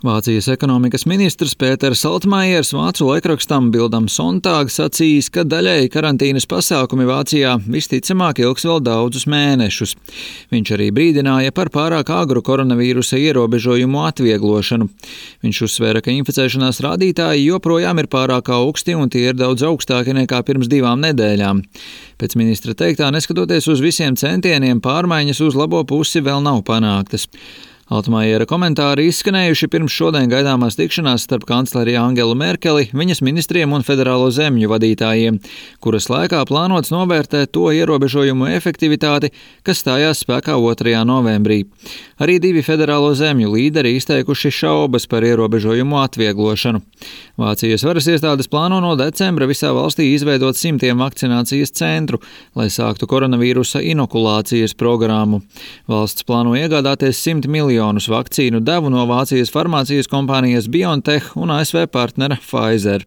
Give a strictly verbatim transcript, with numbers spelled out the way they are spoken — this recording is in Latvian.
Vācijas ekonomikas ministrs Pēters Altmaiers vācu laikrakstam Bildam Sonntag sacījis, ka daļēji karantīnas pasākumi Vācijā visticamāk ilgs vēl daudzus mēnešus. Viņš arī brīdināja par pārāk agru koronavīrusa ierobežojumu atvieglošanu. Viņš uzsvēra, ka inficēšanās rādītāji joprojām ir pārāk augsti un tie ir daudz augstāki nekā pirms divām nedēļām. Pēc ministra teiktā, neskatoties uz visiem centieniem, pārmaiņas uz labo pusi vēl nav panāktas. Altmaiera komentāri izskanējuši pirms šodien gaidāmās tikšanās starp kancleri Angelu Merkeli, viņas ministriem un federālo zemju vadītājiem, kuras laikā plānots novērtēt to ierobežojumu efektivitāti, kas stājās spēkā otrajā novembrī. Arī divi federālo zemju līderi izteikuši šaubas par ierobežojumu atvieglošanu. Vācijas varas iestādes plāno no decembra visā valstī izveidot simtiem vakcinācijas centru, lai sāktu koronavīrusa inokulācijas programmu. Valsts plāno iegādāties simt miljonus vakcīnu devu no Vācijas farmācijas kompānijas BioNTech un A S V partnera Pfizer.